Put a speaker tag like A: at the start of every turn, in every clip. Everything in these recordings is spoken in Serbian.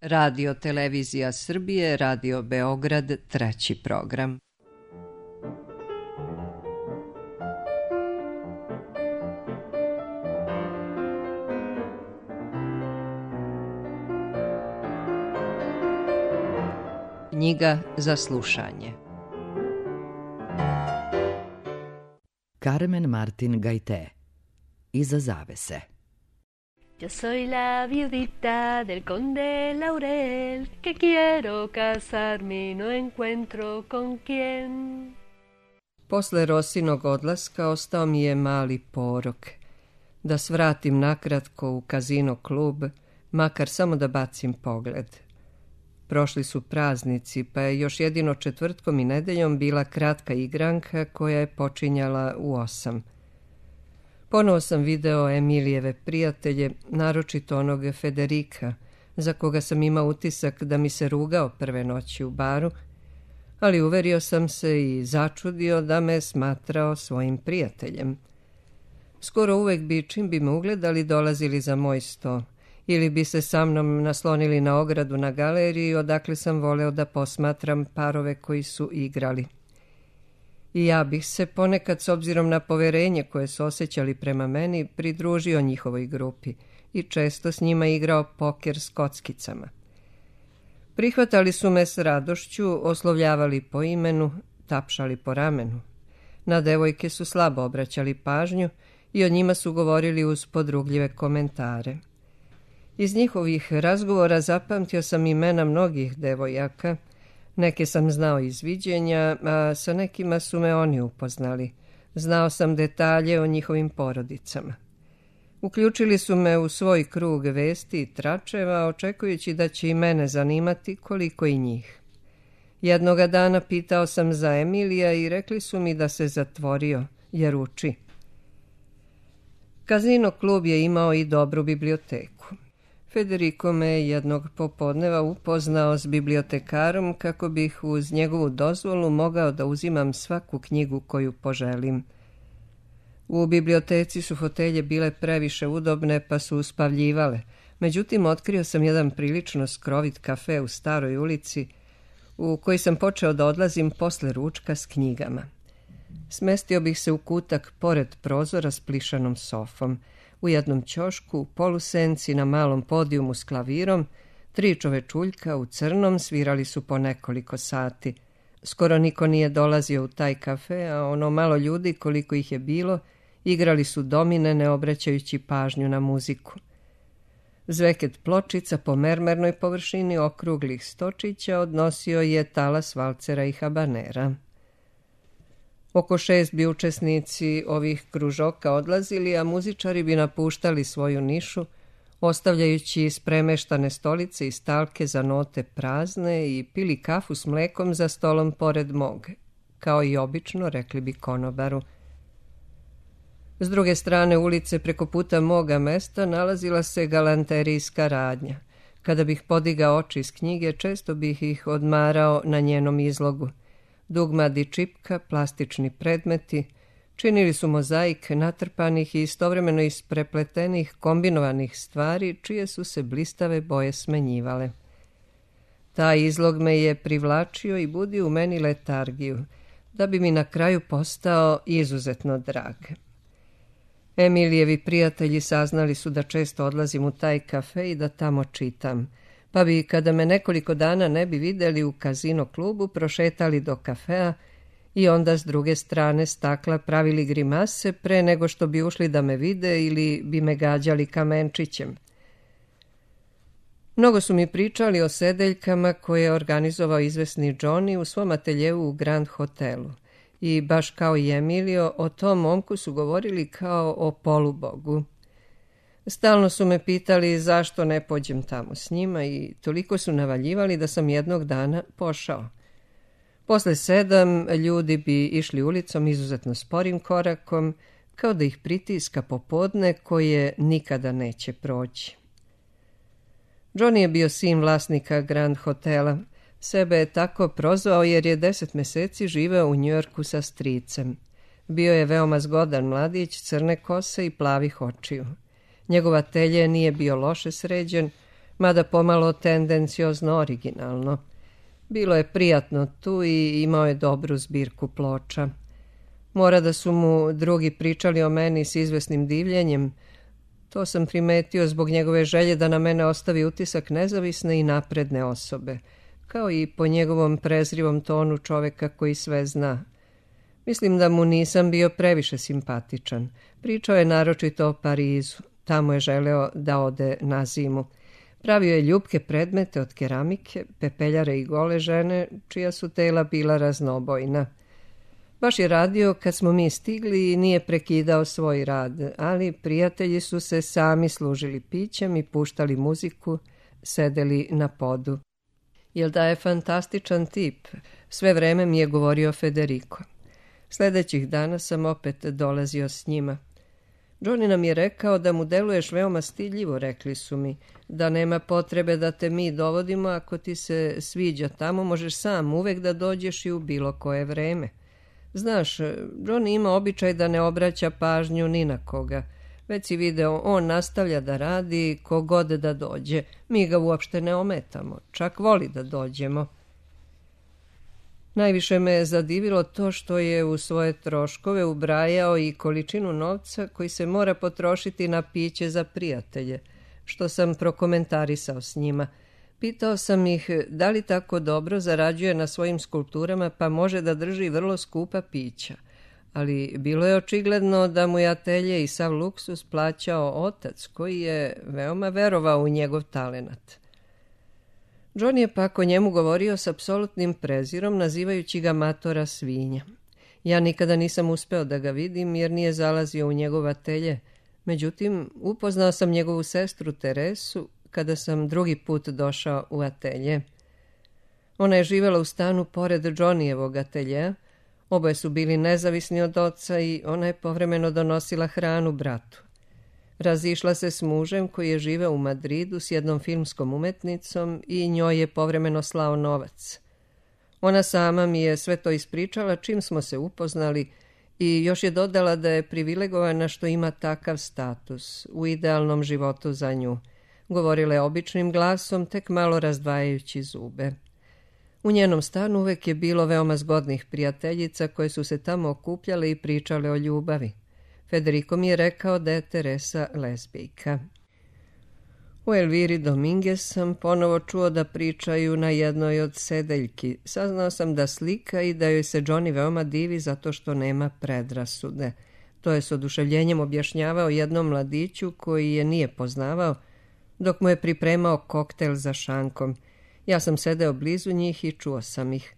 A: Radio Televizija Srbije, Radio Beograd, treći program. Knjiga za slušanje.
B: Carmen Martin Gaité. Iza zavese.
C: Yo soy la viudita del conde Laurel, que quiero casarme y no encuentro con quién.
A: Posle Rosinog odlaska ostao mi je mali porok. Da svratim nakratko u Kazino klub, makar samo da bacim pogled. Prošli su praznici, pa je još jedino četvrtkom i nedeljom bila kratka igranka koja je počinjala u 8. Ponovo sam video Emilijeve prijatelje, naročito onog Federika, za koga sam imao utisak da mi se rugao prve noći u baru, ali uverio sam se i začudio da me smatrao svojim prijateljem. Skoro uvek bi, čim bi me ugledali, dolazili za moj sto, ili bi se sa mnom naslonili na ogradu na galeriji, odakle sam voleo da posmatram parove koji su igrali. I ja bih se ponekad, s obzirom na poverenje koje su osjećali prema meni, pridružio njihovoj grupi i često s njima igrao poker s kockicama. Prihvatali su me s radošću, oslovljavali po imenu, tapšali po ramenu. Na devojke su slabo obraćali pažnju i o njima su govorili uz podrugljive komentare. Iz njihovih razgovora zapamtio sam imena mnogih devojaka. Neke sam znao iz viđenja, a sa nekima su me oni upoznali. Znao sam detalje o njihovim porodicama. Uključili su me u svoj krug vesti i tračeva, očekujući da će i mene zanimati koliko i njih. Jednoga dana pitao sam za Emilija i rekli su mi da se zatvorio, jer uči. Kazino klub je imao i dobru biblioteku. Federico me jednog popodneva upoznao s bibliotekarom kako bih uz njegovu dozvolu mogao da uzimam svaku knjigu koju poželim. U biblioteci su fotelje bile previše udobne pa su uspavljivale, međutim otkrio sam jedan prilično skrovit kafe u staroj ulici u koji sam počeo da odlazim posle ručka s knjigama. Smestio bih se u kutak pored prozora s plišanom sofom. U jednom ćošku, u polusenci, na malom podijumu s klavirom, 3 čovečuljka u crnom svirali su po nekoliko sati. Skoro niko nije dolazio u taj kafe, a ono malo ljudi, koliko ih je bilo, igrali su domine ne obraćajući pažnju na muziku. Zveket pločica po mermernoj površini okruglih stočića odnosio je talas valcera i habanera. Oko 6 bi učesnici ovih kružoka odlazili, a muzičari bi napuštali svoju nišu, ostavljajući ispremeštane stolice i stalke za note prazne i pili kafu s mlekom za stolom pored mog, kao i obično, rekli bi konobaru. S druge strane ulice, preko puta moga mesta, nalazila se galanterijska radnja. Kada bih podigao oči iz knjige, često bih ih odmarao na njenom izlogu. Dugmad i čipka, plastični predmeti, činili su mozaik natrpanih i istovremeno isprepletenih kombinovanih stvari, čije su se blistave boje smenjivale. Taj izlog me je privlačio i budio u meni letargiju, da bi mi na kraju postao izuzetno drag. Emilijevi prijatelji saznali su da često odlazim u taj kafe i da tamo čitam, pa bi, kada me nekoliko dana ne bi videli u Kazino klubu, prošetali do kafea i onda s druge strane stakla pravili grimase pre nego što bi ušli da me vide ili bi me gađali kamenčićem. Mnogo su mi pričali o sedeljkama koje je organizovao izvesni Johnny u svom ateljevu u Grand Hotelu. I baš kao i Emilio, o tom momku su govorili kao o polubogu. Stalno su me pitali zašto ne pođem tamo s njima i toliko su navaljivali da sam jednog dana pošao. Posle 7 ljudi bi išli ulicom izuzetno sporim korakom, kao da ih pritiska popodne koje nikada neće proći. Johnny je bio sin vlasnika Grand Hotela. Sebe je tako prozvao jer je 10 meseci živeo u Njujorku sa stricem. Bio je veoma zgodan mladić, crne kose i plavih očiju. Njegov atelje nije bio loše sređen, mada pomalo tendenciozno originalno. Bilo je prijatno tu i imao je dobru zbirku ploča. Mora da su mu drugi pričali o meni s izvesnim divljenjem. To sam primetio zbog njegove želje da na mene ostavi utisak nezavisne i napredne osobe, kao i po njegovom prezrivom tonu čoveka koji sve zna. Mislim da mu nisam bio previše simpatičan. Pričao je naročito o Parizu. Tamo je želeo da ode na zimu. Pravio je ljupke predmete od keramike, pepeljare i gole žene, čija su tela bila raznobojna. Baš je radio kad smo mi stigli i nije prekidao svoj rad, ali prijatelji su se sami služili pićem i puštali muziku, sedeli na podu. Jel da je fantastičan tip, sve vreme mi je govorio Federico. Sljedećih dana sam opet dolazio s njima. Johnny nam je rekao da mu deluješ veoma stidljivo, rekli su mi, da nema potrebe da te mi dovodimo, ako ti se sviđa tamo, možeš sam uvek da dođeš i u bilo koje vreme. Znaš, Johnny ima običaj da ne obraća pažnju ni na koga. Već si video, on nastavlja da radi kogod da dođe. Mi ga uopšte ne ometamo, čak voli da dođemo. Najviše me je zadivilo to što je u svoje troškove ubrajao i količinu novca koji se mora potrošiti na piće za prijatelje, što sam prokomentarisao s njima. Pitao sam ih da li tako dobro zarađuje na svojim skulpturama pa može da drži vrlo skupa pića, ali bilo je očigledno da mu je atelje i sav luksus plaćao otac koji je veoma verovao u njegov talenat. John je pak o njemu govorio s apsolutnim prezirom, nazivajući ga matora svinja. Ja nikada nisam uspeo da ga vidim jer nije zalazio u njegov atelje. Međutim, upoznao sam njegovu sestru Teresu kada sam drugi put došao u atelje. Ona je živjela u stanu pored Johnnyjevog ateljeja. Oboje su bili nezavisni od oca i ona je povremeno donosila hranu bratu. Razišla se s mužem koji je živeo u Madridu s jednom filmskom umetnicom i njoj je povremeno slao novac. Ona sama mi je sve to ispričala čim smo se upoznali i još je dodala da je privilegovana što ima takav status u idealnom životu za nju. Govorila je običnim glasom, tek malo razdvajajući zube. U njenom stanu uvek je bilo veoma zgodnih prijateljica koje su se tamo okupljale i pričale o ljubavi. Federico mi je rekao da je Teresa lezbijka. U Elviri Dominguez sam ponovo čuo da pričaju na jednoj od sedeljki. Saznao sam da slika i da joj se Johnny veoma divi zato što nema predrasude. To je s oduševljenjem objašnjavao jednom mladiću koji je nije poznavao, dok mu je pripremao koktel za šankom. Ja sam sedeo blizu njih i čuo sam ih.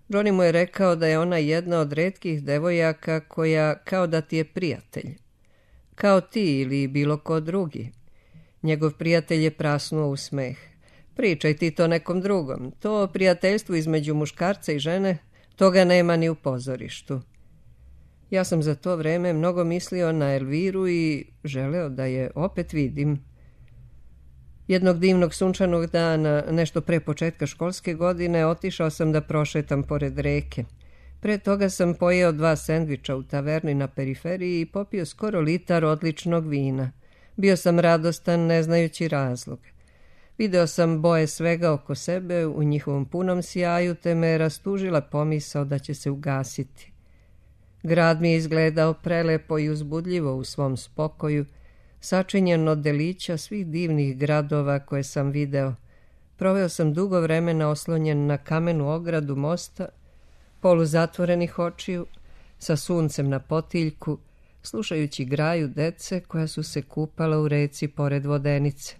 A: Johnny mu je rekao da je ona jedna od retkih devojaka koja kao da ti je prijatelj. Kao ti ili bilo ko drugi. Njegov prijatelj je prasnuo u smeh. Pričaj ti to nekom drugom. To prijateljstvo između muškarca i žene, toga nema ni u pozorištu. Ja sam za to vreme mnogo mislio na Elviru i želeo da je opet vidim. Jednog divnog sunčanog dana, nešto pre početka školske godine, otišao sam da prošetam pored reke. Pre toga sam pojeo 2 sendviča u taverni na periferiji i popio skoro litar odličnog vina. Bio sam radostan, ne znajući razlog. Video sam boje svega oko sebe u njihovom punom sjaju, te me je rastužila pomisao da će se ugasiti. Grad mi je izgledao prelepo i uzbudljivo u svom spokoju, sačinjen od delića svih divnih gradova koje sam video. Proveo sam dugo vremena oslonjen na kamenu ogradu mosta, poluzatvorenih očiju, sa suncem na potiljku, slušajući graju dece koja su se kupala u reci pored vodenice.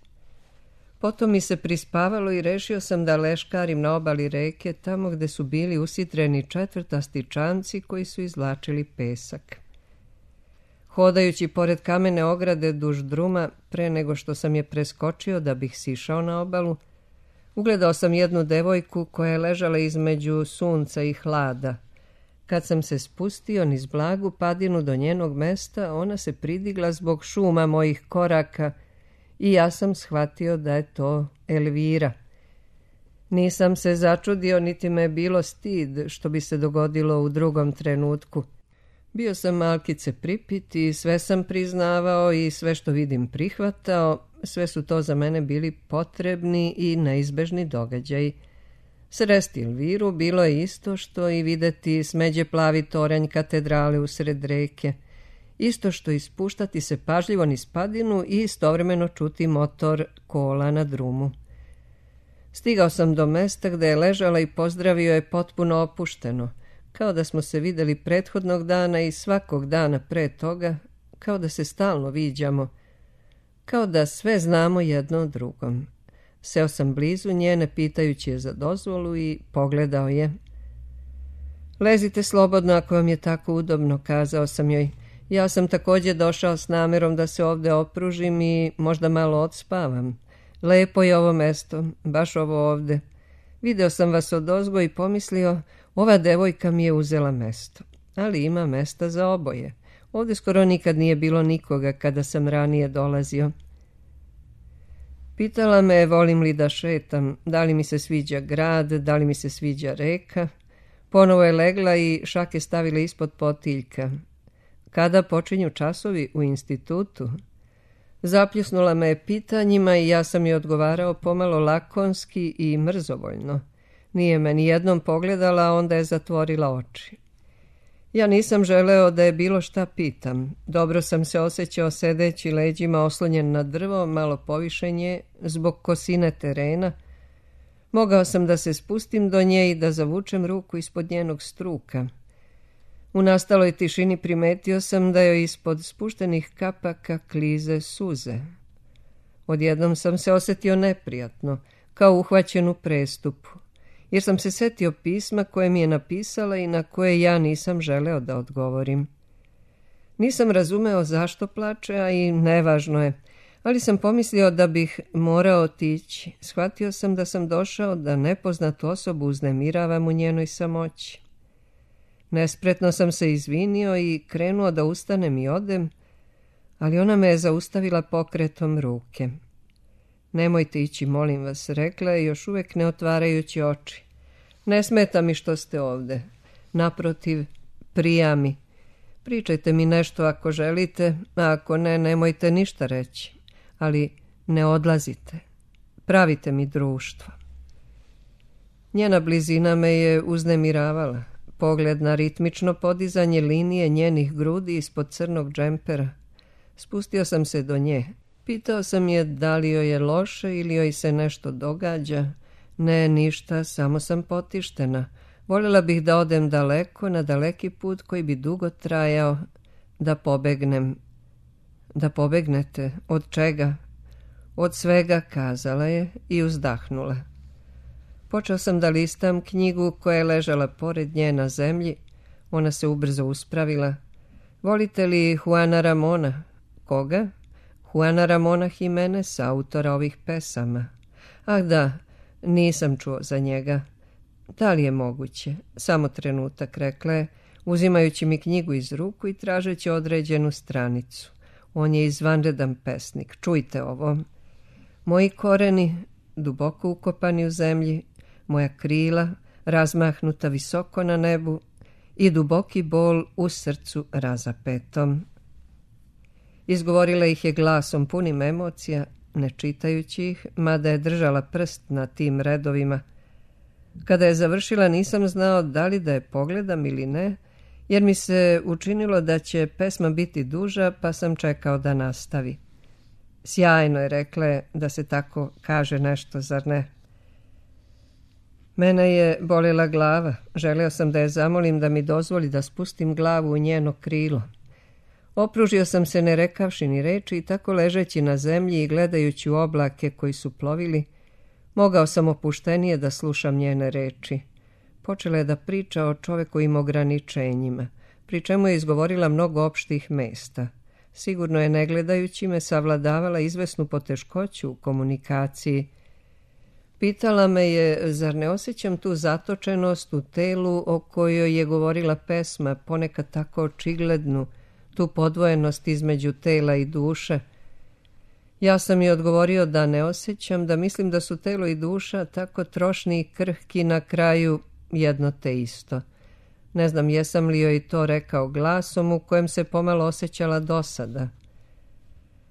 A: Potom mi se prispavalo i rešio sam da leškarim na obali reke, tamo gde su bili usitreni četvrtasti čamci koji su izvlačili pesak. Hodajući pored kamene ograde duž druma, pre nego što sam je preskočio da bih sišao na obalu, ugledao sam jednu devojku koja je ležala između sunca i hlada. Kad sam se spustio niz blagu padinu do njenog mesta, ona se pridigla zbog šuma mojih koraka i ja sam shvatio da je to Elvira. Nisam se začudio, niti me je bilo stid što bi se dogodilo u drugom trenutku. Bio sam malkice pripit i sve sam priznavao i sve što vidim prihvatao, Sve su to za mene bili potrebni i neizbežni događaji. Sresti Elviru bilo je isto što i videti smeđe plavi toranj katedrale usred reke, isto što ispuštati se pažljivo niz padinu i istovremeno čuti motor kola na drumu. Stigao sam do mesta gde je ležala i pozdravio je potpuno opušteno, kao da smo se videli prethodnog dana i svakog dana pre toga, kao da se stalno viđamo, kao da sve znamo jedno o drugom. Seo sam blizu njene, pitajući je za dozvolu, i pogledao je. Lezite slobodno ako vam je tako udobno, kazao sam joj. Ja sam također došao s namerom da se ovdje opružim i možda malo odspavam. Lepo je ovo mesto, baš ovo ovdje. Video sam vas odozgo i pomislio, ova devojka mi je uzela mesto. Ali ima mesta za oboje. Ovdje skoro nikad nije bilo nikoga kada sam ranije dolazio. Pitala me volim li da šetam, da li mi se sviđa grad, da li mi se sviđa reka. Ponovo je legla i šake stavila ispod potiljka. Kada počinju časovi u institutu? Zapljusnula me je pitanjima i ja sam joj odgovarao pomalo lakonski i mrzovoljno. Nije me ni jednom pogledala, a onda je zatvorila oči. Ja nisam želeo da je bilo šta pitam. Dobro sam se osjećao sedeći leđima oslonjen na drvo, malo povišenje, zbog kosine terena. Mogao sam da se spustim do nje i da zavučem ruku ispod njenog struka. U nastaloj tišini primetio sam da joj ispod spuštenih kapaka klize suze. Odjednom sam se osjetio neprijatno, kao uhvaćen u prestupu, jer sam se setio pisma koje mi je napisala i na koje ja nisam želeo da odgovorim. Nisam razumeo zašto plače, a i nevažno je, ali sam pomislio da bih morao otići. Shvatio sam da sam došao da nepoznatu osobu uznemiravam u njenoj samoći. Nespretno sam se izvinio i krenuo da ustanem i odem, ali ona me je zaustavila pokretom ruke. Nemojte ići, molim vas, rekla je, još uvijek ne otvarajući oči. Ne smeta mi što ste ovdje. Naprotiv, prija mi. Pričajte mi nešto ako želite, a ako ne, nemojte ništa reći. Ali ne odlazite. Pravite mi društvo. Njena blizina me je uznemiravala. Pogled na ritmično podizanje linije njenih grudi ispod crnog džempera. Spustio sam se do nje. Pitao sam je da li joj je loše ili joj se nešto događa. Ne, ništa, samo sam potištena. Voljela bih da odem daleko, na daleki put koji bi dugo trajao, da pobegnem. Da pobegnete? Od čega? Od svega, kazala je i uzdahnula. Počeo sam da listam knjigu koja je ležala pored nje na zemlji. Ona se ubrzo uspravila. Volite li Juana Ramona? Koga? Juana Ramona Jimenez, autora ovih pesama. Ah da, nisam čuo za njega. Da li je moguće? Samo trenutak, rekla je, uzimajući mi knjigu iz ruku i tražeći određenu stranicu. On je izvanredan pesnik. Čujte ovo. Moji koreni, duboko ukopani u zemlji, moja krila, razmahnuta visoko na nebu i duboki bol u srcu razapetom. Izgovorila ih je glasom punim emocija, ne čitajući ih, mada je držala prst na tim redovima. Kada je završila nisam znao da li da je pogledam ili ne, jer mi se učinilo da će pesma biti duža, pa sam čekao da nastavi. Sjajno je, rekla je, da se tako kaže nešto, zar ne? Mene je bolela glava. Želeo sam da je zamolim da mi dozvoli da spustim glavu u njeno krilo. Opružio sam se ne rekavši ni reči i tako ležeći na zemlji i gledajući u oblake koji su plovili, mogao sam opuštenije da slušam njene reči. Počela je da priča o čovekovim ograničenjima, pri čemu je izgovorila mnogo opštih mesta. Sigurno je, ne gledajući me, savladavala izvesnu poteškoću u komunikaciji. Pitala me je, zar ne osjećam tu zatočenost u telu o kojoj je govorila pesma, ponekad tako očiglednu, tu podvojenost između tela i duše. Ja sam joj odgovorio da ne osjećam, da mislim da su telo i duša tako trošni i krhki, na kraju jedno te isto. Ne znam jesam li joj to rekao glasom u kojem se pomalo osjećala dosada.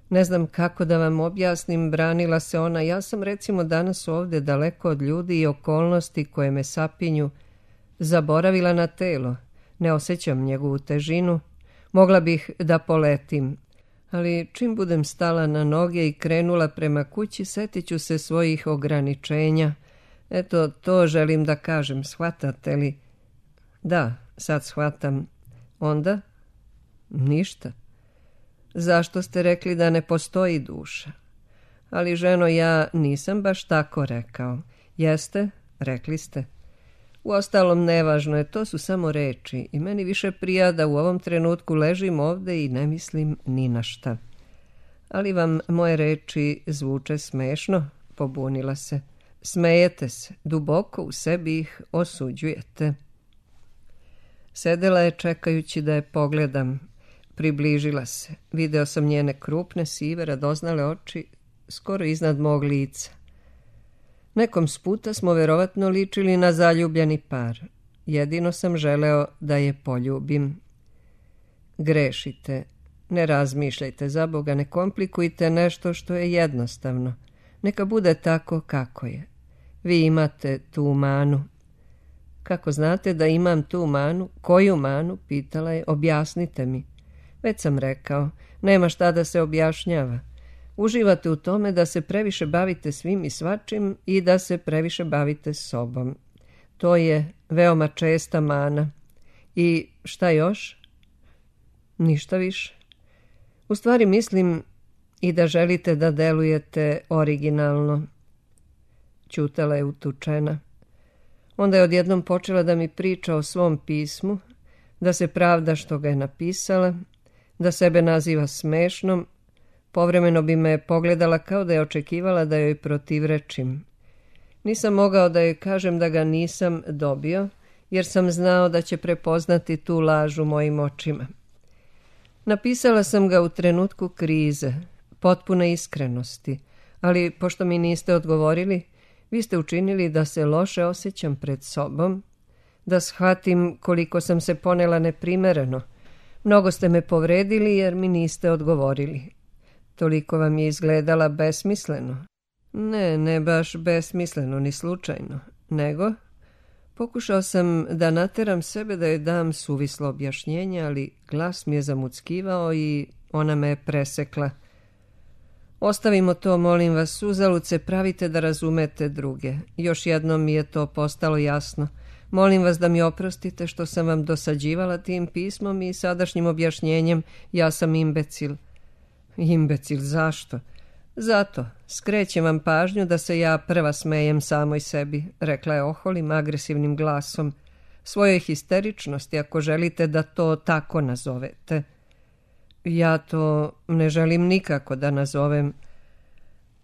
A: Ne znam kako da vam objasnim, branila se ona. Ja sam recimo danas ovdje, daleko od ljudi i okolnosti koje me sapinju, zaboravila na telo. Ne osjećam njegovu težinu. Mogla bih da poletim. Ali čim budem stala na noge i krenula prema kući, setit ću se svojih ograničenja. Eto, to želim da kažem, shvatate li? Da, sad shvatam. Onda? Ništa. Zašto ste rekli da ne postoji duša? Ali, ženo, ja nisam baš tako rekao. Jeste? Rekli ste. Uostalom, nevažno je, to su samo reči i meni više prija da u ovom trenutku ležim ovdje i ne mislim ni na šta. Ali vam moje reči zvuče smešno, pobunila se. Smejete se, duboko u sebi ih osuđujete. Sedela je čekajući da je pogledam. Približila se. Video sam njene krupne, sive, radoznale oči skoro iznad mog lica. Nekom sputa smo verovatno ličili na zaljubljeni par. Jedino sam želeo da je poljubim. Grešite. Ne razmišljajte, za Boga, ne komplikujte nešto što je jednostavno. Neka bude tako kako je. Vi imate tu manu. Kako znate da imam tu manu? Koju manu? Pitala je. Objasnite mi. Već sam rekao, nema šta da se objašnjava. Uživate u tome da se previše bavite svim i svačim i da se previše bavite sobom. To je veoma česta mana. I šta još? Ništa više. U stvari mislim i da želite da delujete originalno. Ćutala je utučena. Onda je odjednom počela da mi priča o svom pismu, da se pravda što ga je napisala, da sebe naziva smešnom. Povremeno bi me pogledala kao da je očekivala da joj protivrečim. Nisam mogao da joj kažem da ga nisam dobio, jer sam znao da će prepoznati tu laž u mojim očima. Napisala sam ga u trenutku krize, potpune iskrenosti, ali pošto mi niste odgovorili, vi ste učinili da se loše osjećam pred sobom, da shvatim koliko sam se ponela neprimereno. Mnogo ste me povredili jer mi niste odgovorili. Toliko vam je izgledala besmisleno. Ne baš besmisleno, ni slučajno, nego pokušao sam da nateram sebe da joj dam suvislo objašnjenje, ali glas mi je zamuckivao i ona me je presekla. Ostavimo to, molim vas, uzalud se pravite da razumete druge. Još jednom mi je to postalo jasno. Molim vas da mi oprostite što sam vam dosađivala tim pismom i sadašnjim objašnjenjem. Ja sam imbecil. Imbecil, zašto? Zato, skrećem vam pažnju da se ja prva smejem samoj sebi, rekla je oholim, agresivnim glasom. Svojoj histeričnosti, ako želite da to tako nazovete. Ja to ne želim nikako da nazovem.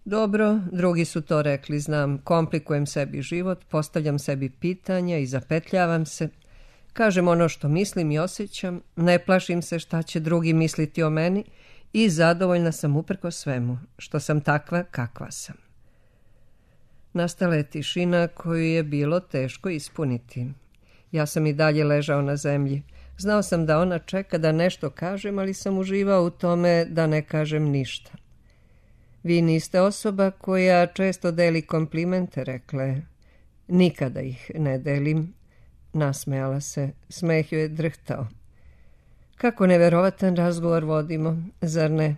A: Dobro, drugi su to rekli, znam, komplikujem sebi život, postavljam sebi pitanja i zapetljavam se. Kažem ono što mislim i osjećam, ne plašim se šta će drugi misliti o meni i zadovoljna sam uprkos svemu, što sam takva kakva sam. Nastala je tišina koju je bilo teško ispuniti. Ja sam i dalje ležao na zemlji. Znao sam da ona čeka da nešto kažem, ali sam uživao u tome da ne kažem ništa. Vi niste osoba koja često deli komplimente, rekla je. Nikada ih ne delim. Nasmejala se, smeh joj je drhtao. Kako neverovatan razgovor vodimo, zar ne?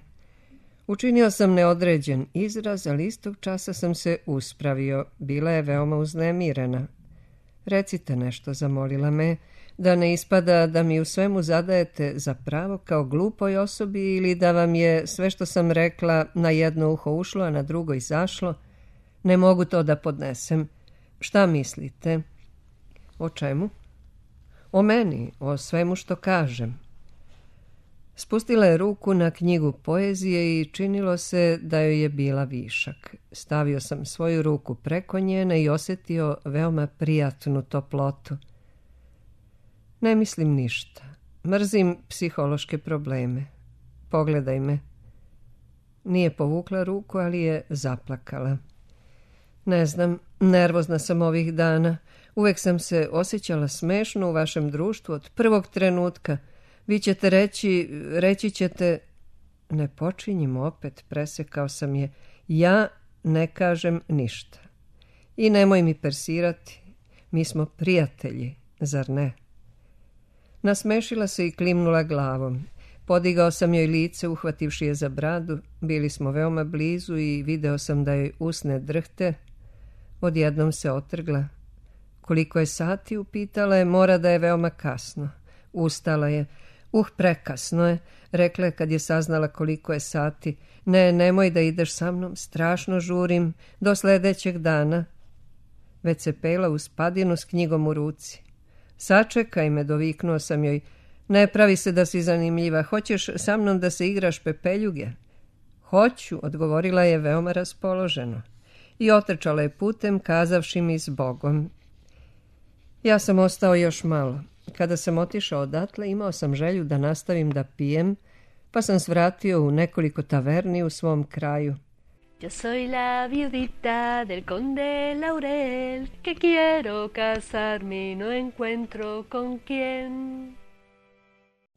A: Učinio sam neodređen izraz, ali istog časa sam se uspravio. Bila je veoma uznemirena. Recite nešto, zamolila me, da ne ispada da mi u svemu zadajete za pravo kao glupoj osobi ili da vam je sve što sam rekla na jedno uho ušlo, a na drugo izašlo. Ne mogu to da podnesem. Šta mislite? O čemu? O meni, o svemu što kažem. Spustila je ruku na knjigu poezije i činilo se da joj je bila višak. Stavio sam svoju ruku preko njene i osjetio veoma prijatnu toplotu. Ne mislim ništa. Mrzim psihološke probleme. Pogledaj me. Nije povukla ruku, ali je zaplakala. Ne znam, nervozna sam ovih dana. Uvek sam se osjećala smešno u vašem društvu od prvog trenutka. Vi ćete reći ćete... Ne počinjim opet, presekao sam je. Ja ne kažem ništa. I nemoj mi persirati. Mi smo prijatelji, zar ne? Nasmešila se i klimnula glavom. Podigao sam joj lice, uhvativši je za bradu. Bili smo veoma blizu i video sam da joj usne drhte. Odjednom se otrgla. Koliko je sati, upitala je, mora da je veoma kasno. Ustala je. Prekasno je, rekla je kad je saznala koliko je sati. Ne, nemoj da ideš sa mnom, strašno žurim, do sledećeg dana. Već se pela uz padinu s knjigom u ruci. Sačekaj me, doviknuo sam joj. Ne pravi se da si zanimljiva, hoćeš sa mnom da se igraš pepeljuge? Hoću, odgovorila je veoma raspoloženo. I otrčala je putem, kazavši mi s Bogom. Ja sam ostao još malo. Kada sam otišao odatle, imao sam želju da nastavim da pijem, pa sam svratio u nekoliko taverni u svom kraju.
C: Yo soy la viudita del conde Laurel, que quiero casarme y no encuentro con quién.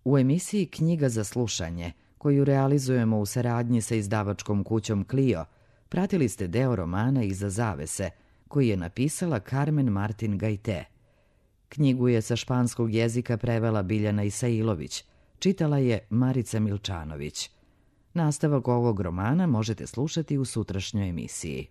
B: U emisiji Knjiga za slušanje, koju realizujemo u saradnji sa izdavačkom kućom Clio, pratili ste deo romana Iza zavese, koji je napisala Carmen Martin Gajte. Knjigu je sa španskog jezika prevela Biljana Isailović, čitala je Marica Milčanović. Nastavak ovog romana možete slušati u sutrašnjoj emisiji.